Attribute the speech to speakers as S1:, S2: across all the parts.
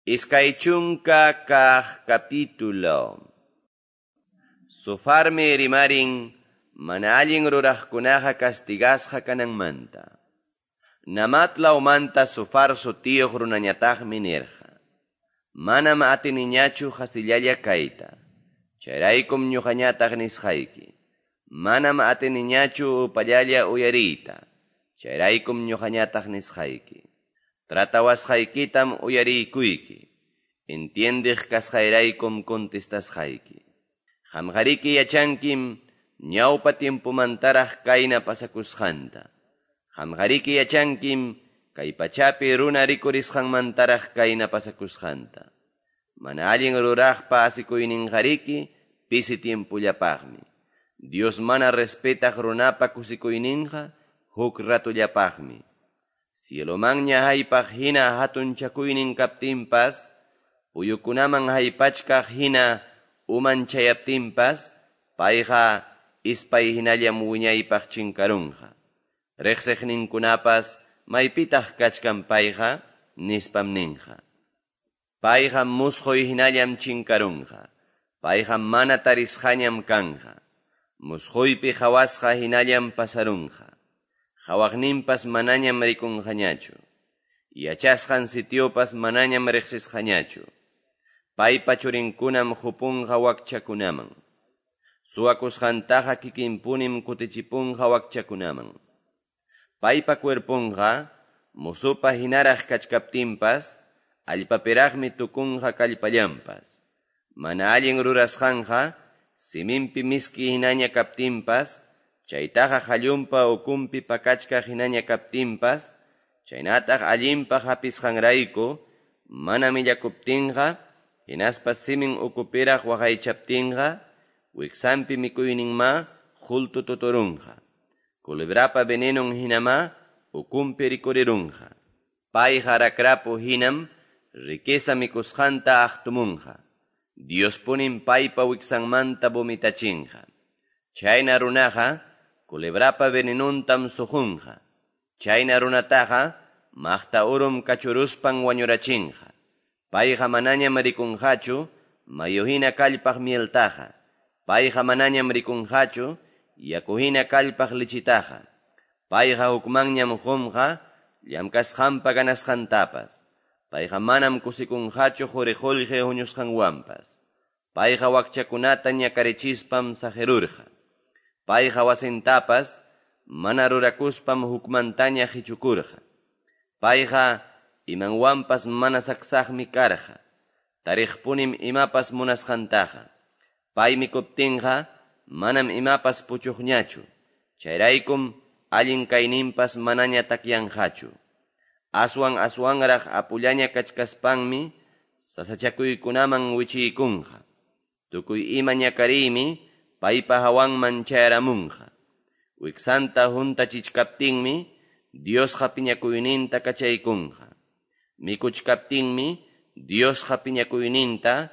S1: 20 capítulo. Zofarmi rimarin mana allin ruraqkunaqa castigasqa kananmanta. Namat lawmanta Zofar sutiyuq runañataqmi nirqa: Manam atiniñachu qasillalla kayta. Chayraykum ñuqañataq nisqayki. Manam atiniñachu upallalla uyariyta. Chayraykum ñuqañataq nisqayki. Tratawasqaykitam uyariykuyki. Entiendiq kasqayraykum contestasqayki. Qamqariki yachankim ñawpa tiempomantaraq kayna pasakusqanta. Qamqariki yachankim kay pachapi runa rikurisqanmantaraq kayna pasakusqanta. Mana allin ruraqpa asikuyninqariki pisi tiempollapaqmi. Dios mana respetaq runapa kusikuyninqa huk ratullapaqmi. Cielomanña haypaq hina hatunchakuynin kaptinpas, puyukunaman haypachkaq hina uman chayaptinpas, payqa ispay hinallam wiñaypaq chinkarunqa. Riqsiqninkunapas maypitaq kachkan payqa nispam ninqa. Payqa musquy hinallam chinkarunqa. Payqa mana tarisqañam kanqa. Musquypi qhawasqa hinallam pasarunqa. Qhawaqninpas manañam rikunqañachu. Yachasqan sitiopas manañam riqsisqañachu. Paypa churinkunam qupunqa wakchakunaman. Suwakusqantaqa kikinpunim kutichipunqa wakchakunaman. Paypa cuerponqa musupa hinaraq kachkaptinpas, allpapiraqmi tukunqa kallpallanpas. Mana allin rurasqanqa siminpi miski hinaña kaptinpas, chaytaqa qallunpa ukunpi pakachkaq hinaña kaptinpas, chaynataq allinpaq hapisqanrayku mana millakuptinqa, hinaspa simin ukupiraq waqaychaptinqa, wiksanpi mikuyninma qultu tuturunqa. Culebrapa venenon hinama ukunpi rikurirunqa. Payqa rakrapu hinam riqueza mikusqanta aqtumunqa. Diospunim paypa wiksanmanta vomitachinqa. Chayna runaqa culebrapa venenuntam suqunqa. Chayna runataqa maqta urum kachuruspan wañurachinqa. Payqa manañam rikunqachu mayu hina kallpaq mieltaqa. Payqa manañam rikunqachu yaku hina kallpaq lichitaqa. Payqa hukmanñam qunqa llamkasqanpa ganasqantapas. Payqa manam kusikunqachu quri qullqi huñusqanwanpas. Payqa wakchakunata ñakarichispam saqirurqa. Payqa wasintapas mana rurakuspam hukmantaña qichukurqa. Payqa imanwanpas mana saksaqmi karqa. Tariqpunim imapas munasqantaqa. Pay mikuptinqa manam imapas puchuqñachu. Chayraykum allin kayninpas manaña takyanqachu. Aswan aswanraq apullaña kachkaspanmi sasachakuykunaman wichiykunqa. Tukuy ima ñakariymi paypa hawanman chayaramunqa. Wiksanta huntachichkaptinmi Diosqa piñakuyninta kachaykunqa. Mikuchkaptinmi Diosqa piñakuyninta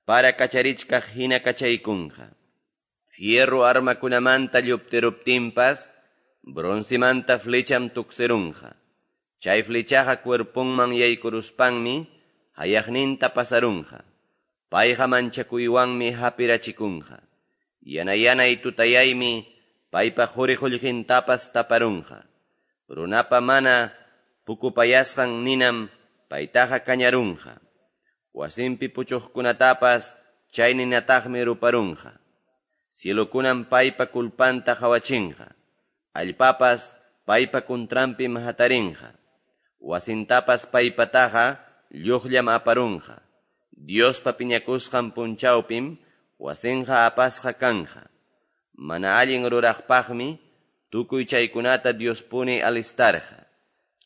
S1: para kacharichkaq hina kachaykunqa. Fierro armakunamanta lluptiruptinpas broncemanta flecham tuksirunqa. Chay flechaqa cuerponman yaykuruspanmi hayaqninta pasarunqa. Payqa manchakuywanmi hapirachikunqa. Yana-yanay tutayaymi paypa quri qullqintapas taparunqa. Runapa mana pukupayasqan ninam paytaqa kañarunqa. Wasinpi puchuqkunatapas chay ninataqmi ruparunqa. Cielokunam paypa culpanta qhawachinqa. Allpapas paypa contranpim hatarinqa. Wasintapas paypataqa lluqllam aparunqa. Diospa piñakusqan punchawpim wasinqa apasqa kanja. Mana allin ruraqpaqmi tukuy chaykunata Diospuni alistarqa.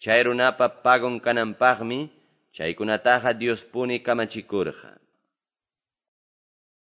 S1: Chay runapa pagon kananpaqmi chaykunataqa Diospuni kamachikurqa.